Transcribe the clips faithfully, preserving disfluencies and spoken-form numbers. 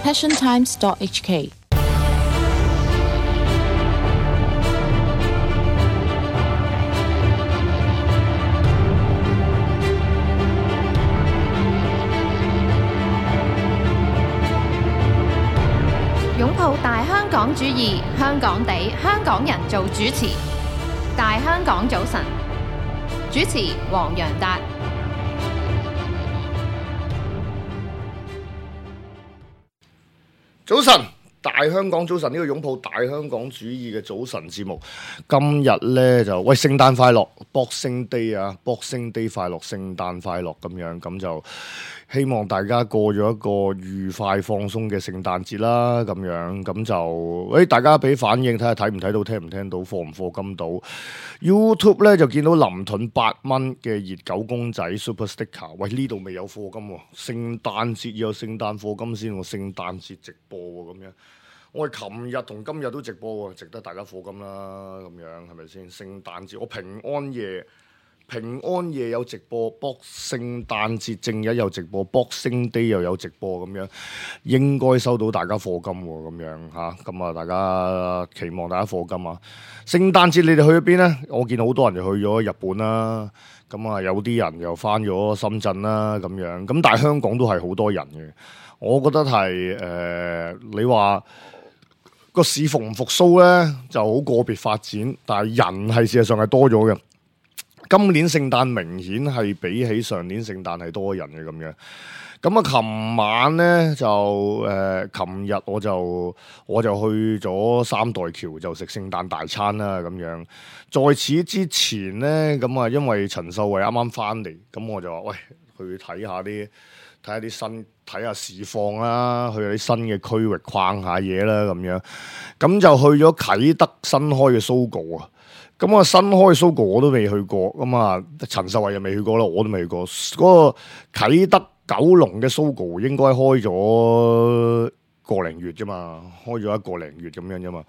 passion times dot h k。擁抱大香港主義，香港地，香港人做主持。大香港早晨，主持黃洋達。早晨，大香港早晨，呢個擁抱大香港主義嘅早晨節目，今日呢就喂聖誕快樂 ，Boxing Day 啊 ，Boxing Day 快樂，聖誕快樂咁樣，咁就希望大家過咗一個愉快放鬆嘅聖誕節啦，咁樣咁就喂大家俾反應，睇下睇唔睇到，聽唔聽到，課唔課金到 ？YouTube 呢就見到林盾八蚊嘅熱狗公仔 Super Sticker， 喂呢度未有課金喎，聖誕節要有聖誕課金先喎，聖誕節直播喎咁樣。我哋琴日同今日都直播喎，值得大家課金啦，咁樣係咪先？聖誕節我平安夜平安夜有直播，box 聖誕節正日有直播，Boxing Day 又有直播咁樣，應該收到大家課金喎，咁樣嚇，咁啊大家期望大家課金啊！聖誕節你哋去咗邊呢？我見好多人就去咗日本啦，咁啊有啲人又翻咗深圳啦，咁樣，咁但係香港都係好多人嘅，我覺得係誒、呃、你話。個市復唔復甦呢，就好個別發展，但係人係事實上係多咗嘅。今年聖誕明顯係比起上年聖誕係多人嘅咁樣。咁啊，琴晚呢，就誒，琴、呃、日我就我就去咗三代橋就食聖誕大餐啦咁樣。在此之前呢，咁啊，因為陳秀慧啱啱翻嚟，咁我就話喂，去睇下啲。睇下啲新，睇下市況啦，去下啲新嘅區域逛下嘢啦，咁樣，咁就去咗啟德新開嘅 Sogo 啊，咁啊新開嘅 Sogo 我都未去過，咁啊陳秀慧又未去過啦，我都未去過，嗰、那個啟德九龍嘅 Sogo 應該開咗個零月啫嘛，開咗一個零月咁樣啫嘛。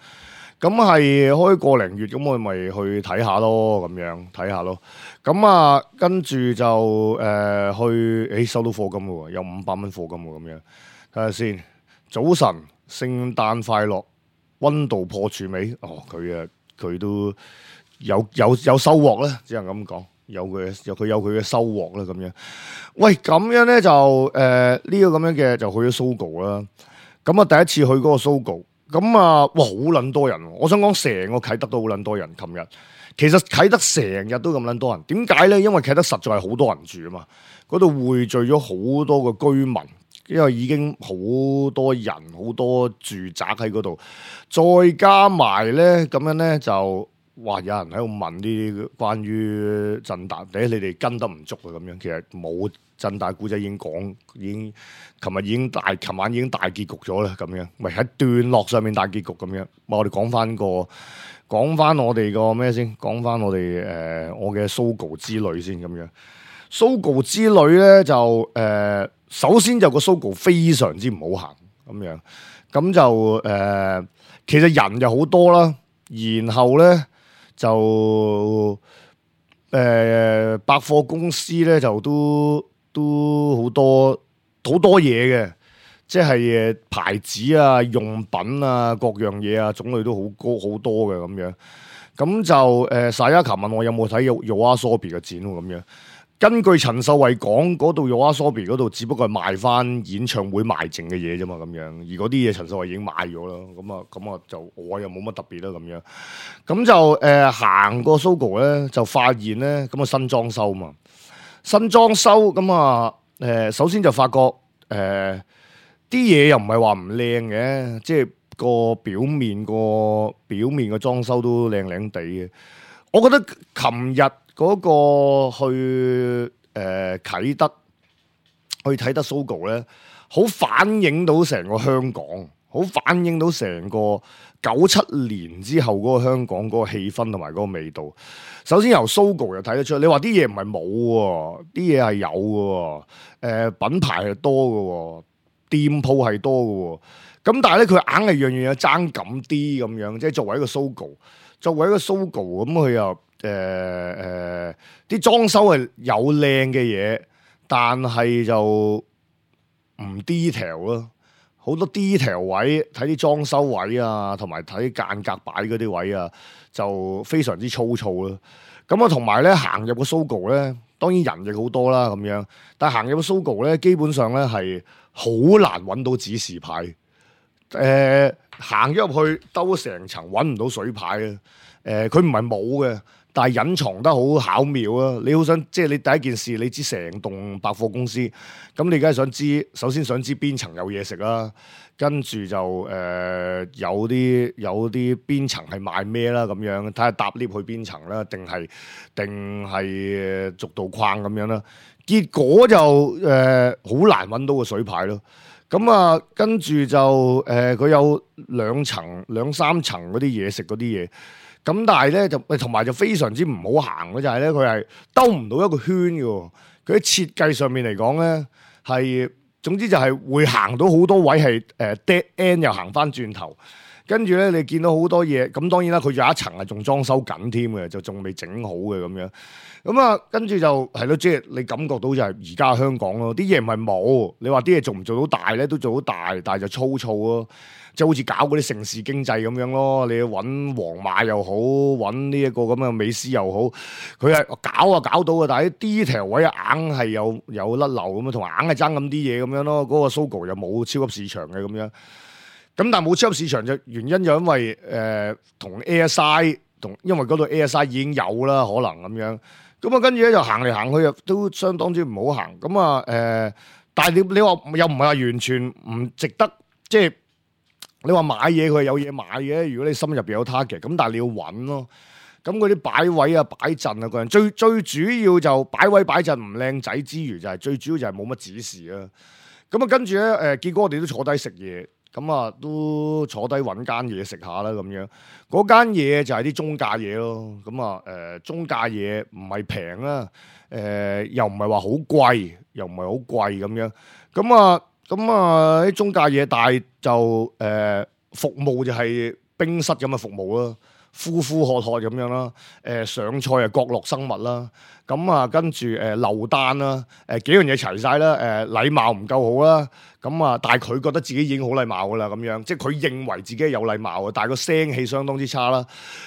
咁係開個零月，咁我咪去睇下咯，咁樣睇下咯。咁啊，跟住就誒、呃、去，誒收到課金喎，有五百蚊課金喎，咁樣睇下先。早晨，聖誕快樂，溫度破處未？哦，佢啊，佢都有有有收穫咧，只能咁講，有佢有佢有佢嘅收穫啦，咁樣。喂，咁樣咧就誒呢、呃這個咁樣嘅就去咗 Sogo 啦。咁啊，第一次去嗰個 Sogo。咁啊，哇，好撚多人！我想講成個啟德都好撚多人。琴日其實啟德成日都咁撚多人，點解呢？因為啟德實在係好多人住啊嘛，嗰度匯聚咗好多個居民，因為已經好多人、好多住宅喺嗰度，再加埋呢，咁樣呢，就，哇！有人喺度問啲關於鎮達，誒你哋跟得唔足啊咁樣，其實冇。鎮大古仔已經講，已經琴日已經大，琴晚已經大結局咗啦，咁樣，咪喺段落上面大結局咁樣。我哋講翻個，講翻我哋個咩先？講翻我哋誒、呃、我嘅 Sogo 之旅先咁樣。Sogo 之旅咧就誒、呃，首先就個 Sogo 非常之唔好行咁樣，咁就誒、呃，其實人就好多啦，然後咧就誒、呃、百貨公司咧就都。都好多好多嘢嘅，即係誒牌子啊、用品啊、各樣嘢啊，種類都好高好多嘅咁樣。咁就誒，沙雅琴問我有冇睇 YOASOBI 嘅展喎咁樣。根據陳秀慧講，嗰度 YOASOBI 嗰度只不過係賣翻演唱會賣剩嘅嘢啫嘛，咁樣。而嗰啲嘢陳秀慧已經賣咗啦，咁啊咁啊就我又冇乜特別啦咁樣。咁就誒、呃、行過 Sogo 咧，就發現咧咁啊新裝修嘛。新裝修咁啊，誒、呃，首先就發覺誒，啲嘢又唔係話唔靚嘅，即係個表面個表面個裝修都靚靚地嘅。我覺得琴日嗰個去誒、呃、啟德去睇得 Sogo 咧，好反映到成個香港，好反映到成個九七年之後嗰個香港嗰個氣氛同埋嗰個味道。首先由 Sogo 又睇得出，你話啲嘢唔係冇喎，啲嘢係有嘅，誒、呃、品牌係多嘅，店鋪係多嘅，咁但係咧佢硬係樣樣嘢爭咁啲咁樣，即係作為一個 Sogo，作為一個 Sogo 咁佢又誒誒啲裝修係有靚嘅嘢，但係就唔 detail 咯。好多 detail 位，睇啲裝修位啊，同埋睇間隔擺嗰啲位啊，就非常之粗糙啦。咁啊，同埋咧行入個 Sogo 咧，當然人亦好多啦咁樣，但係行入個 Sogo 咧，基本上咧係好難揾到指示牌。誒、呃，行咗入去兜成層揾唔到水牌啊！誒、呃，佢唔係冇嘅。但係隱藏得好巧妙啊！你好想即係你第一件事，你知成棟百貨公司，咁你梗係想知，首先想知邊層有嘢食啦，跟住就誒、呃、有啲有啲邊層係賣咩啦咁樣，睇下搭 lift 去邊層啦，定係定係逐道框咁樣啦。結果就誒好、呃、難揾到個水牌咯。咁啊，跟住就誒佢、呃、有兩層兩三層嗰啲嘢食嗰啲嘢。咁但係咧就同埋就非常之唔好行嘅就係咧佢係兜唔到一個圈嘅，佢喺設計上面嚟講咧係總之就係會行到好多位係誒 dead end 又行翻轉頭，跟住咧你見到好多嘢，咁當然啦佢有一層係仲裝修緊添嘅，就仲未整好嘅咁樣，咁啊跟住就係咯，即係你感覺到就係而家香港咯，啲嘢唔係冇，你話啲嘢做唔做到大咧都做到大，但係就粗糙咯。即係好似搞嗰啲城市經濟咁樣咯，你揾皇馬又好，揾呢一個咁嘅美斯又好，佢係搞啊搞到啊，但係啲 detail 位硬係有有甩漏咁啊，同埋硬係爭咁啲嘢咁樣咯。嗰、那個 Sogo 又冇超級市場嘅咁樣，咁但係冇超級市場就原因就因為誒同 A S I 同，因為嗰度 A S I 已經有啦，可能咁樣。咁啊跟住咧就行嚟行去又都相當之唔好行。咁啊誒，但係你你話又唔係話完全唔值得，即係。你話買嘢佢係有嘢買嘅，如果你心入邊有 target，咁但係你要揾咯。咁嗰啲擺位啊、擺陣啊，個人最最主要就擺位擺陣唔靚仔之餘，就係最主要就係冇乜指示啊。咁啊跟住咧誒，結果我哋都坐低食嘢，咁啊都坐低揾間嘢食下啦咁樣。嗰間嘢就係啲中價嘢咯。咁啊誒中價嘢唔係平啦，誒又唔係話好貴，又唔係好貴咁樣。咁啊〜咁啊啲中價嘢，但係就誒、呃、服務就係冰室咁嘅服務啦，呼呼喝喝咁樣啦，誒、呃、上菜啊角落生物啦，咁啊跟住誒漏單啦，誒、呃、幾樣嘢齊晒啦，誒、呃、禮貌唔夠好啦，咁啊但係佢覺得自己已經好禮貌噶啦，咁樣即係佢認為自己係有禮貌嘅，但係個聲氣相當之差啦，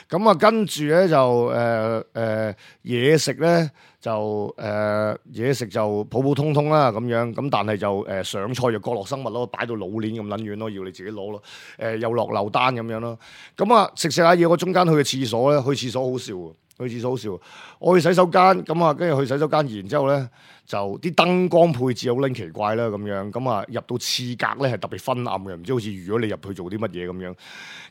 咁啊跟住咧就誒誒嘢食咧。就誒嘢、呃、食就普普通通啦咁樣，咁但係就誒、呃、上菜就角落生物咯，擺到老鏈咁撚遠咯，要你自己攞咯，誒、呃、又落漏單咁樣咯，咁啊食食下嘢，我中間去嘅廁所咧，去廁所好笑喎，去廁所好笑，我去洗手間，咁啊跟住去洗手間，然之後咧就啲燈光配置好撚奇怪啦咁樣，咁啊入到廁格咧係特別昏暗嘅，唔知好似預咗你入去做啲乜嘢咁樣，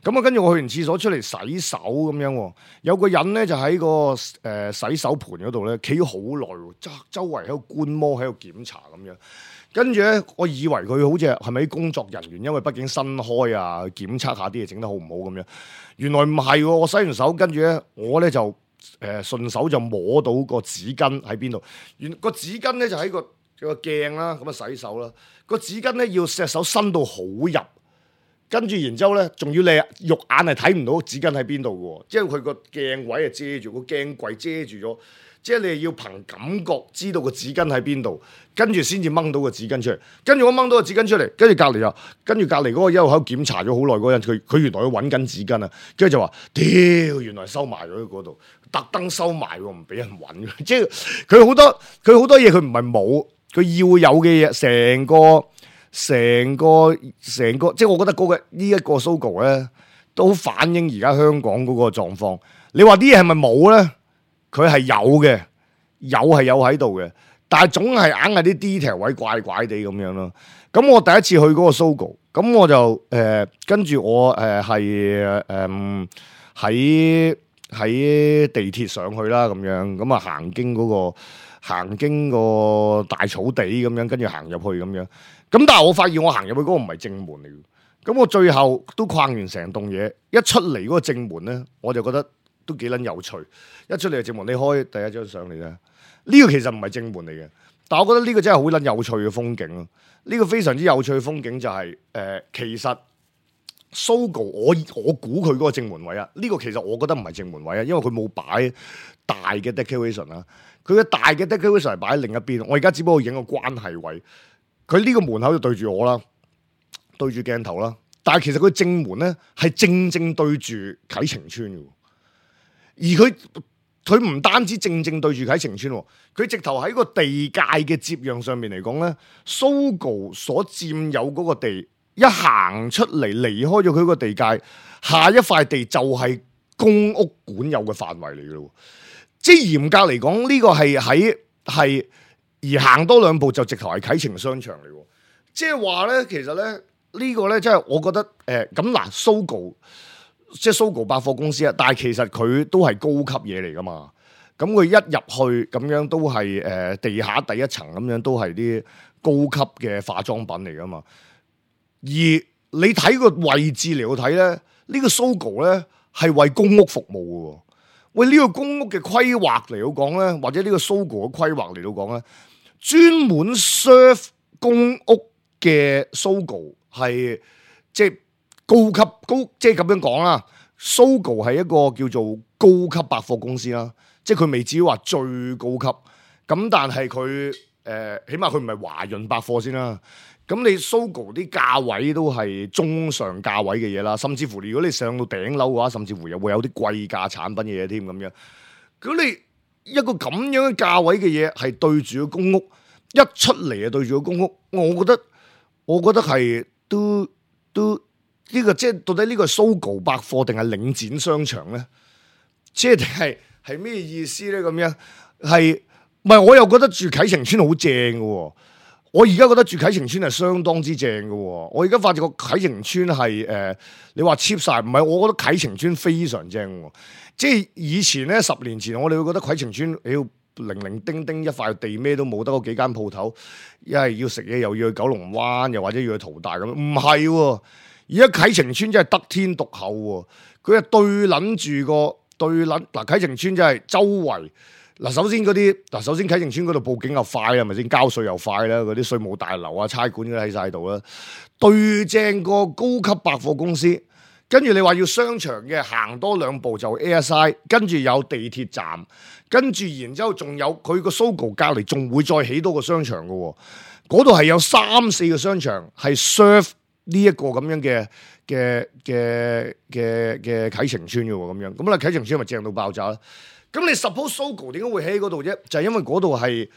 咁啊跟住我去完廁所出嚟洗手咁樣，有個人咧就喺個誒、呃、洗手盤嗰度咧企咗好耐喎，周周圍喺度觀摩喺度檢查咁樣，跟住咧我以為佢好似係咪啲工作人員，因為畢竟新開啊，檢測下啲嘢整得好唔好咁樣，原來唔係喎，我洗完手跟住咧我咧就。誒、呃、順手就摸到個紙巾喺邊度，原個紙巾咧就喺個個鏡啦，咁啊洗手啦。個紙巾咧要隻手伸到好入，跟住然之後咧，仲要你肉眼係睇唔到紙巾喺邊度嘅喎，即係佢個鏡位係遮住，個鏡櫃遮住咗，即係你係要憑感覺知道個紙巾喺邊度，跟住先至掹到個紙巾出嚟。跟住我掹到個紙巾出嚟，跟住隔離又跟住隔離嗰個一路喺度檢查咗好耐嗰個人，佢佢原來要揾緊紙巾啊，跟住就話：屌，原來收埋咗喺嗰度。特登收埋喎，唔俾人揾。即係佢好多佢好多嘢，佢唔係冇，佢要有嘅嘢，成個成個成個，即係我覺得嗰個呢一個 Sogo 咧，都反映而家香港嗰個狀況。你話啲嘢係咪冇咧？佢係有嘅，有係有喺度嘅，但係總係硬係啲 detail 位怪怪地咁樣咯。咁我第一次去嗰個 Sogo，咁我就誒、呃、跟住我誒係誒喺。呃喺地鐵上去啦，咁樣咁啊行經嗰、嗰個行經個大草地咁樣，跟住行入去咁樣。咁但係我發現我行入去嗰個唔係正門嚟嘅。咁我最後都逛完成棟嘢，一出嚟嗰個正門咧，我就覺得都幾撚有趣。一出嚟嘅正門，你開第一張相嚟咧，呢、呢個其實唔係正門嚟嘅，但係我覺得呢個真係好撚有趣嘅風景咯。呢、呢個非常之有趣嘅風景就係、是、誒、呃，其實。Sogo 我我估佢嗰個正門位啊，呢、這個其實我覺得唔係正門位啊，因為佢冇擺大嘅 decoration 啊，佢嘅大嘅 decoration 係擺喺另一邊。我而家只不過影個關係位，佢呢個門口就對住我啦，對住鏡頭啦，但係其實佢正門咧係正正對住啟晴邨嘅，而佢佢唔單止正正對住啟晴邨，佢直頭喺個地界嘅接壤上面嚟講咧 ，Sogo 所佔有嗰個地一行出嚟離開咗佢個地界，下一塊地就係公屋管有嘅範圍嚟嘅咯。即係嚴格嚟講，呢、這個係喺係而行多兩步就直頭係啟晴商場嚟喎。即係話咧，其實咧呢、這個咧，即係我覺得誒咁嗱，Sogo 即係 Sogo 百貨公司啊，但係其實佢都係高級嘢嚟噶嘛。咁佢一入去咁樣都係誒、呃、地下第一層咁樣都係啲高級嘅化妝品嚟噶嘛。而你睇個位置嚟到睇咧，呢、這個 Sogo 咧係為公屋服務嘅喎。喂，呢、這個公屋嘅規劃嚟到講咧，或者呢個 Sogo 嘅規劃嚟到講咧，專門 serve 公屋嘅 Sogo 係即係高級高，即係咁樣講啦。Sogo 係一個叫做高級百貨公司啦，即係佢未至於話最高級，咁但係佢誒起碼佢唔係華潤百貨先啦。咁你 Sogo 啲價位都係中上價位嘅嘢啦，甚至乎如果你上到頂樓嘅話，甚至乎又會有啲貴價產品嘅嘢添咁樣。咁你一個咁樣嘅價位嘅嘢係對住個公屋，一出嚟啊對住個公屋，我覺得我覺得係都都呢、呢個即係到底呢個係 Sogo 百貨定係領展商場咧？即係定係係咩意思咧？咁樣係唔係？我又覺得住啟晴邨好正嘅喎。我而家覺得住啟晴邨係相當之正嘅喎，我而家發覺個啟晴邨係誒，你話 cheap 晒，唔係，我覺得啟晴邨非常正喎。即係以前咧，十年前我哋會覺得啟晴邨，妖零零丁丁一塊地咩都冇，得嗰幾間鋪頭，一係要食嘢又要去九龍灣，又或者要去淘大咁，唔係喎。而家啟晴邨真係得天獨厚喎，佢係對撚住個對撚嗱啟晴邨真係周圍。嗱，首先嗰啲嗱，首先啟晴邨嗰度報警又快係咪先？交稅又快啦，嗰啲稅務大樓啊、差館都喺晒度啦。對正個高級百貨公司，跟住你話要商場嘅，行多兩步就 A S I， 跟住有地鐵站，跟住然之後仲有佢個 Sogo 隔離，仲會再起多個商場嘅喎。嗰度係有三四個商場係 serve 呢一個咁樣嘅嘅嘅嘅嘅啟晴邨嘅喎，咁樣咁啦，啟晴邨咪正到爆炸啦。咁你 suppose Sogo 點解會喺嗰度啫？就係、是、因為嗰度係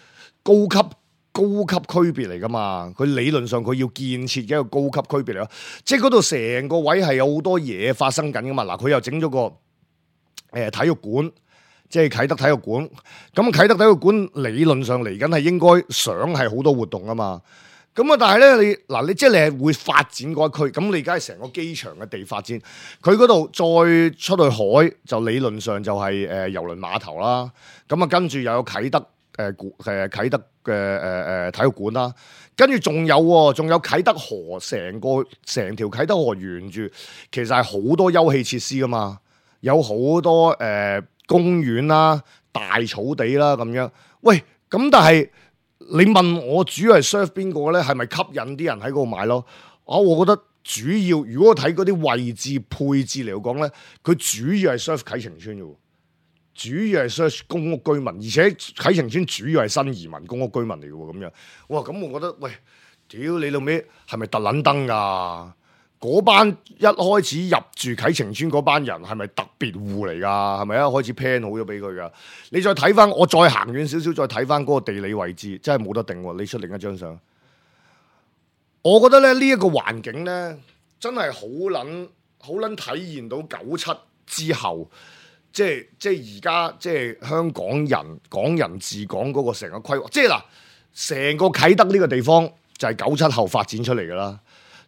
高級高級區別嚟噶嘛，佢理論上佢要建設嘅一個高級區別嚟咯，即係嗰度成個位係有好多嘢發生緊噶嘛。嗱，佢又整咗個誒、呃、體育館，即係啟德體育館。咁啟德體育館理論上嚟緊係應該想係好多活動啊嘛。咁啊，但係咧，你嗱，你即係你係會發展嗰一區，咁你而家係成個機場嘅地發展，佢嗰度再出去海，就理論上就係誒郵輪碼頭啦。咁啊，跟住又有啟德誒誒、呃、啟德嘅誒誒體育館啦，跟住仲有仲有啟德河，成個成條啟德河沿住，其實係好多休憩設施噶嘛，有好多誒、呃、公園啦、大草地啦咁樣。喂，咁但係。你問我主要係 serve 邊個咧？係咪吸引啲人喺嗰度買咯？啊，我覺得主要如果我睇嗰啲位置配置嚟講咧，佢主要係 serve 啟晴邨嘅，主要係 serve 公屋居民，而且啟晴邨主要係新移民公屋居民嚟嘅喎，咁樣。哇，咁我覺得喂，屌你老味係咪特撚登㗎？嗰班一開始入住啟晴邨嗰班人係咪特別戶嚟㗎？係咪一開始 plan 好咗俾佢㗎？你再睇翻，我再行遠少少，再睇翻嗰個地理位置，真係冇得定喎！你出另一張相，我覺得咧呢一個環境咧，真係好撚好撚體現到九七之後，即係即係而家即係香港人港人治港嗰個成個規劃，即係嗱，成個啟德呢個地方就係九七後發展出嚟㗎啦。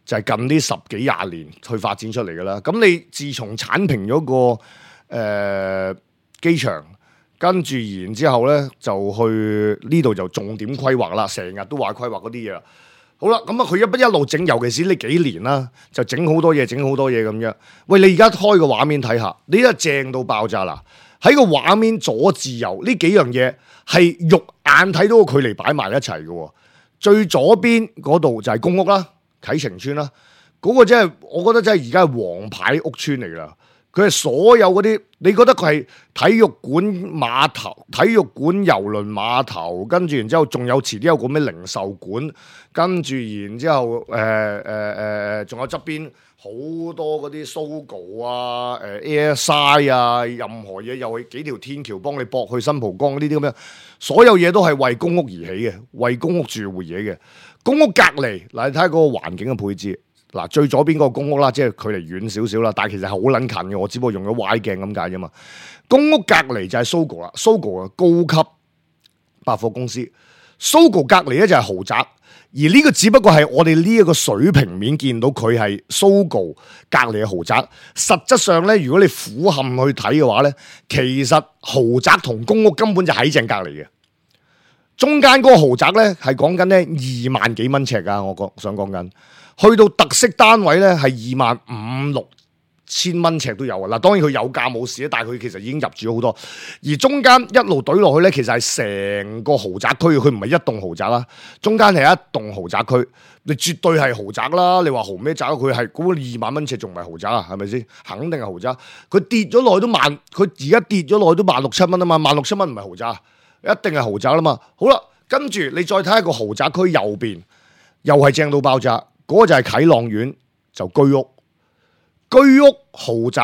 就係近呢十幾廿年去發展出嚟嘅啦。咁你自從剷平咗個誒、呃、機場，跟住然之後咧就去呢度就重點規劃啦。成日都話規劃嗰啲嘢啦。好啦，咁啊佢一不一路整，尤其是呢幾年啦，就整好多嘢，整好多嘢咁樣。喂，你而家開個畫面睇下，你真係正到爆炸啦！喺個畫面左至右呢幾樣嘢係肉眼睇到個距離擺埋一齊嘅。最左邊嗰度就係公屋啦。啟晴邨啦，嗰、那個真係，我覺得真係而家係王牌屋邨嚟啦。佢係所有嗰啲你覺得佢係體育館碼頭、體育館郵輪碼頭，跟住然之後仲有遲啲有個咩零售館，跟住然之後誒誒誒，仲有側邊好多嗰啲 Sogo 啊、誒 Airside 啊，任何嘢又係幾條天橋幫你駁去新蒲崗呢啲咁樣，所有嘢都係為公屋而起嘅，為公屋住戶而起嘅。公屋隔離嗱，你睇下嗰個環境嘅配置。嗱，最左邊嗰個公屋啦，即係距離遠少少啦，但係其實係好撚近嘅，我只不過用咗歪鏡咁解啫嘛。公屋隔離就係 Sogo 啦 ，Sogo 嘅高級百貨公司 ，Sogo 隔離咧就係豪宅，而呢個只不過係我哋呢一個水平面見到佢係 Sogo 隔離嘅豪宅，實質上咧，如果你俯瞰去睇嘅話咧，其實豪宅同公屋根本就喺正隔離嘅，中間嗰個豪宅咧係講緊咧二萬幾蚊尺㗎，我講想講緊。去到特色單位咧，係二萬五六千蚊尺都有啊！嗱，當然佢有價冇市，但係佢其實已經入住咗好多。而中間一路懟落去咧，其實係成個豪宅區，佢唔係一棟豪宅啦，中間係一棟豪宅區，你絕對係豪宅啦！你話豪咩宅？佢係嗰二萬蚊尺，仲唔係豪宅啊？係咪先？肯定係豪宅。佢跌咗落去都萬，佢而家跌咗落去都萬六七蚊啊嘛！萬六七蚊唔係豪宅，一定係豪宅啦嘛！好啦，跟住你再睇下個豪宅區右邊，又係正到爆炸。嗰個就係啟朗苑，就居屋、居屋豪宅、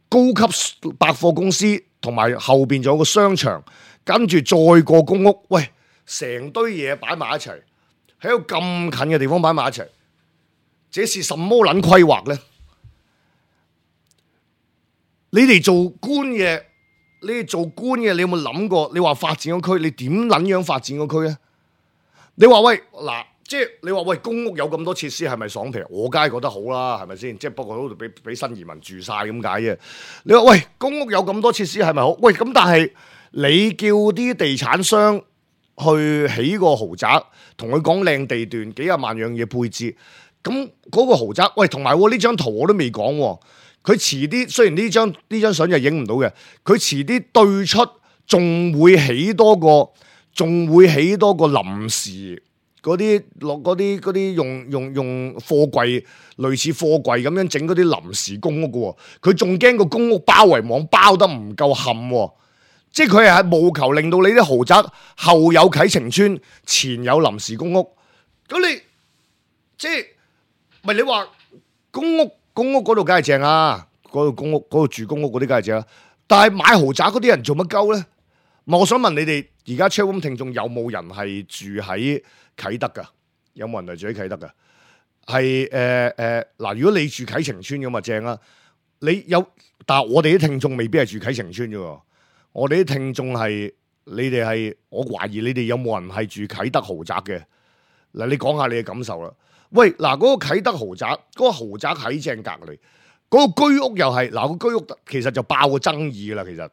高級百貨公司，同埋後邊仲有個商場，跟住再過公屋，喂，成堆嘢擺埋一齊，喺個咁近嘅地方擺埋一齊，這是什麼撚規劃呢？你哋做官嘅，你哋做官嘅，你有冇諗過？你話發展個區，你點撚樣發展個區咧？你話喂嗱。即係你話喂，公屋有咁多設施係咪爽皮？我梗係覺得好啦，係咪先？即係不過嗰度俾俾新移民住晒咁解啫。你話喂，公屋有咁多設施係咪好？喂，咁但係你叫啲地產商去起個豪宅，同佢講靚地段，幾廿萬樣嘢配置，咁嗰個豪宅，喂，同埋呢張圖我都未講，佢遲啲雖然呢張呢張相就影唔到嘅，佢遲啲對出仲會起多個，仲會起多個臨時。嗰啲落嗰啲嗰啲用用用貨櫃類似貨櫃咁樣整嗰啲臨時公屋嘅喎，佢仲驚個公屋包圍網包得唔夠冚喎，即係佢係務求令到你啲豪宅後有啟晴邨，前有臨時公屋。咁你即係咪你話公屋公屋嗰度梗係正啊？嗰度公屋嗰度住公屋嗰啲梗係正啊，但係買豪宅嗰啲人做乜鳩咧？我想問你哋而家 chatroom 聽眾有冇人係住喺啟德噶？有冇人係住喺啟德噶？係誒誒嗱，如果你住啟晴邨咁啊正啦。你有，但係我哋啲聽眾未必係住啟晴邨啫。我哋啲聽眾係你哋係，我懷疑你哋有冇人係住啟德豪宅嘅？嗱，你講下你嘅感受啦。喂，嗱，嗰個啟德豪宅，嗰個豪宅喺正隔離，嗰個居屋又係嗱，個居屋其實就爆個爭議啦。其實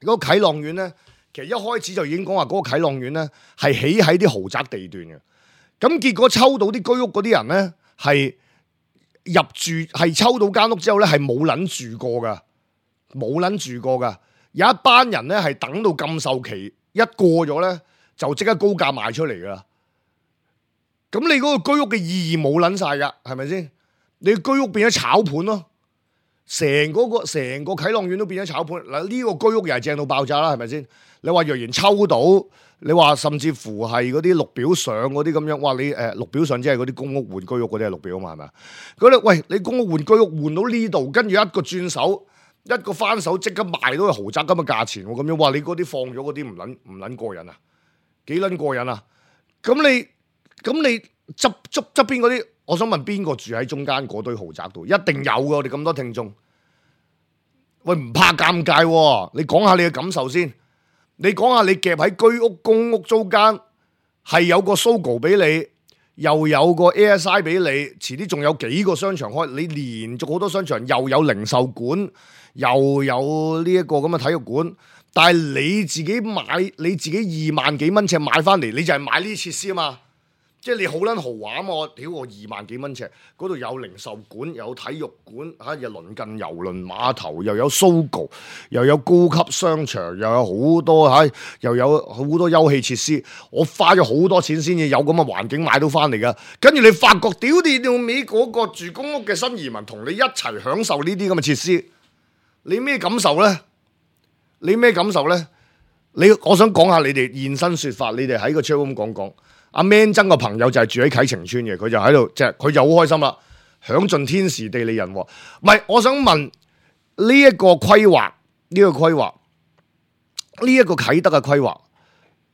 嗰個啟朗苑咧。其實一開始就已經講話嗰個啟朗苑咧係起喺啲豪宅地段嘅，咁結果抽到啲居屋嗰啲人咧係入住，係抽到間屋之後咧係冇撚住過噶，冇撚住過噶，有一班人咧係等到禁售期一過咗咧就即刻高價賣出嚟噶啦，咁你嗰個居屋嘅意義冇撚晒噶，係咪先？你居屋變咗炒盤咯。成嗰個成個啟朗苑都變咗炒盤嗱，呢個居屋又係正到爆炸啦，係咪先？你話若然抽到，你話甚至乎係嗰啲綠表上嗰啲咁樣，哇！你誒綠表上即係嗰啲公屋換居屋嗰啲係綠表啊嘛，係咪啊？嗰啲喂，你公屋換居屋換到呢度，跟住一個轉手，一個翻手，即刻賣到個豪宅咁嘅價錢喎，咁樣哇！你嗰啲放咗嗰啲唔撚唔撚過癮啊？幾撚過癮啊？咁你咁你側側側邊嗰啲？我想問邊個住喺中間嗰堆豪宅度？一定有嘅，我哋咁多聽眾。喂，唔怕尷尬喎，你講下你嘅感受先。你講下你夾喺居屋、公屋中間，係有個 Sogo 俾你，又有個 Airside 俾你，遲啲仲有幾個商場開，你連續好多商場，又有零售館，又有呢一個咁嘅體育館。但係你自己買，你自己二萬幾蚊尺買翻嚟，你就係買呢啲設施啊嘛。即係你好撚豪華啊嘛！我屌我二萬幾蚊尺，嗰度有零售館，有體育館，嚇又鄰近郵輪碼頭，又有 Sogo，又有高級商場，又有好多嚇，又有好多休憩設施。我花咗好多錢先至有咁嘅環境買到翻嚟噶。跟住你發覺，屌你老味嗰個住公屋嘅新移民同你一齊享受呢啲咁嘅設施，你咩感受咧？你咩感受咧？你我想講下你哋現身說法，你哋喺個 chat room 講講。阿 Man 曾個朋友就係住喺啟晴邨嘅，佢就喺度，即係佢就好開心啦，享盡天時地利人和。唔係，我想問呢一個規劃，呢個規劃，呢一個啟德嘅規劃，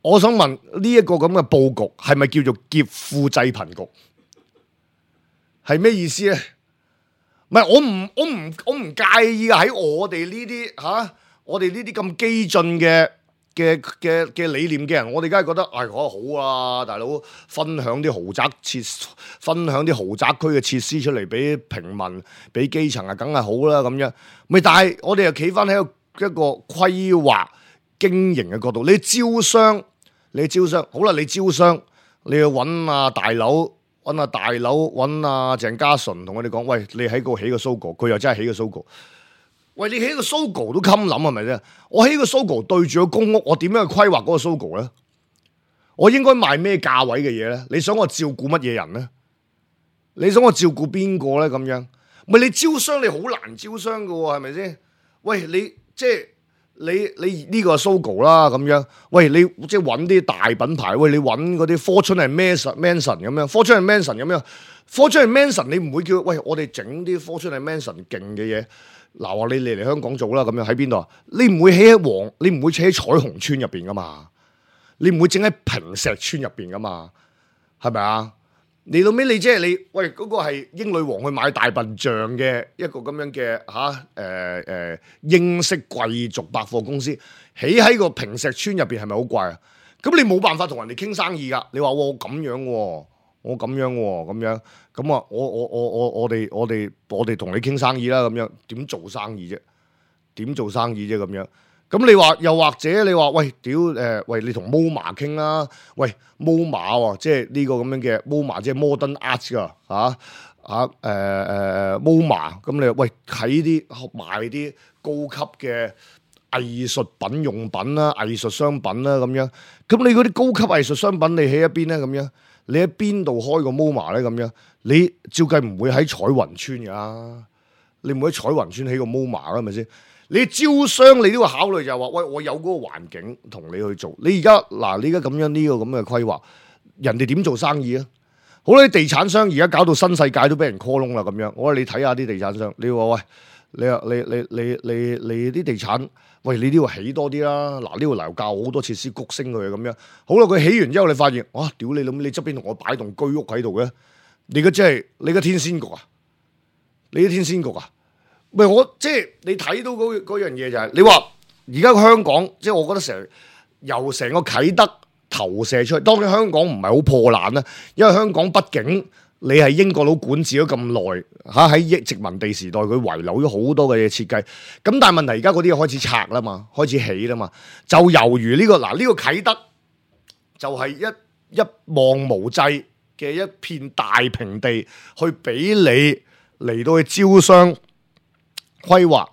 我想問呢一個咁嘅佈局係咪叫做劫富濟貧局？係咩意思咧？唔係，我唔我唔我唔介意啊！喺我哋呢啲吓，我哋呢啲咁激進嘅嘅嘅嘅理念嘅人，我哋梗係覺得唉，講得好啊，大佬分享啲豪宅設，分享啲豪宅區嘅設施出嚟俾平民、俾基層啊，梗係好啦咁樣。咪但係我哋又企翻喺一個一個規劃經營嘅角度，你招商，你招商好啦，你招商，你要揾啊大佬。揾阿大佬，揾阿鄭家純同我哋講，喂，你喺個起個 Sogo， 佢又真係起個 Sogo。喂，你起個 Sogo 都襟諗係咪啫？我起個 Sogo 對住個公屋，我點樣去規劃嗰個 Sogo 咧？我應該賣咩價位嘅嘢咧？你想我照顧乜嘢人咧？你想我照顧邊個咧？咁樣，咪你招商你好難招商噶喎，係咪先？喂，你即係。你你呢個係 Sogo 啦咁樣，喂你即係揾啲大品牌，喂你揾嗰啲 Fortune and Manson 咁樣 ，Fortune and Manson 咁樣 ，Fortune and Manson 你唔會叫喂我哋整啲 Fortune and Manson 勁嘅嘢，嗱話你嚟嚟香港做啦咁樣喺邊度啊？你唔會起喺黃，你唔會起喺彩虹村入邊噶嘛？你唔會整喺平石村入邊噶嘛？係咪啊？你到尾你即係你，喂嗰、嗰個係英女王去買大笨象嘅一個咁樣嘅嚇誒誒英式貴族百貨公司，起喺個平石村入邊係咪好怪啊？咁你冇辦法同人哋傾生意噶。你話我咁樣喎、哦，我咁樣喎、哦，咁樣咁啊，我我我我我哋我哋我哋同你傾生意啦，咁樣點做生意啫？點做生意啫？咁樣。咁你話又或者你話喂屌誒、呃、喂你同 MoMA 傾啦，喂 MoMA 喎，即係呢個咁樣嘅 MoMA 即係 Modern Art 噶嚇嚇誒誒 MoMA， 咁你喂喺啲賣啲高級嘅藝術品用品啦、藝術商品啦咁樣，咁你嗰啲高級藝術商品你喺一邊咧咁樣，你喺邊度開個 MoMA 咧咁樣？你照計唔會喺彩雲村噶，你唔會喺彩雲村起個 MoMA 噶係咪先？你招商你都要考慮就係話，喂，我有嗰個環境同你去做。你而家嗱，你而家咁樣呢個咁嘅規劃，人哋點做生意啊？好啦，地產商而家搞到新世界都俾人 call 窿啦咁樣。我話你睇下啲地產商，你話喂，你啊你你你你你啲地產，喂你呢度起多啲啦。嗱呢度樓價好多設施谷升佢咁樣。好啦，佢起完之後你發現，哇！屌你諗，你側邊同我擺棟居屋喺度嘅，你嘅真係你嘅天仙局啊！你嘅天仙局啊！喂，我即係你睇到嗰嗰樣嘢就係、是，你話而家香港，即係我覺得成由成個啟德投射出去，當然香港唔係好破爛啦，因為香港畢竟你係英國佬管治咗咁耐嚇，喺殖民地時代佢遺留咗好多嘅嘢設計，咁但係問題而家嗰啲開始拆啦嘛，開始起啦嘛，就猶如呢、這個嗱呢、這個啟德就係一一望無際嘅一片大平地，去俾你嚟到去招商。規劃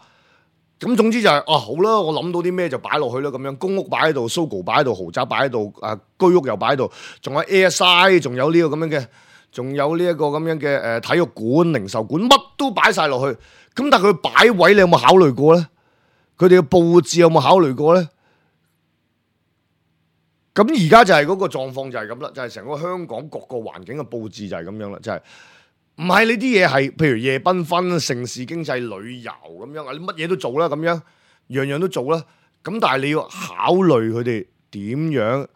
咁總之就係、是、啊好啦，我諗到啲咩就擺落去啦咁樣，公屋擺喺度 ，Sogo 擺喺度，豪宅擺喺度，啊居屋又擺喺度，仲有 A S I， 仲有呢個咁樣嘅，仲有呢一個咁樣嘅誒、呃、體育館、零售館，乜都擺晒落去。咁但係佢擺位，你有冇考慮過咧？佢哋嘅佈置有冇考慮過咧？咁而家就係嗰個狀況就係咁啦，就係、是、成個香港各個環境嘅佈置就係咁樣啦，就係、是。唔係你啲嘢係，譬如夜繽紛、城市經濟、旅遊咁樣啊，你乜嘢都做啦，咁樣樣樣都做啦。咁但係你要考慮佢哋點樣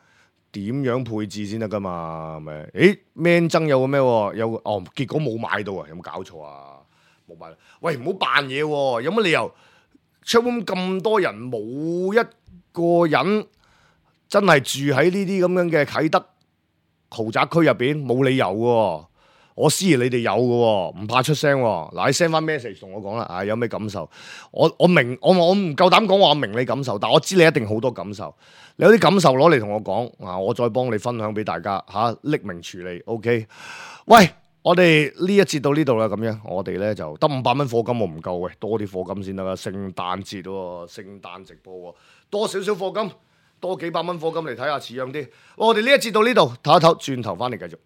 點樣配置先得噶嘛？係咪？誒，Man 曾有個咩？有個哦，結果冇買到啊！有冇搞錯啊？冇買。喂，唔好扮嘢喎！有乜理由出咁咁多人冇一個人真係住喺呢啲咁樣嘅啟德豪宅區入邊？冇理由喎！我思疑你哋有嘅，唔怕出聲。嗱，你 send 翻 message 同我講啦，啊，有咩感受？我我明，我我唔夠膽講話我明你感受，但我知你一定好多感受。你有啲感受攞嚟同我講，啊，我再幫你分享俾大家吓，匿名處理。OK， 喂，我哋呢一節到呢度啦，咁樣我哋咧就得五百蚊課金，我唔夠喂，多啲課金先得啦。聖誕節喎，聖誕直播喎，多少少課金，多幾百蚊課金嚟睇下似樣啲。我哋呢一節到呢度，唞一唞，轉頭翻嚟繼續。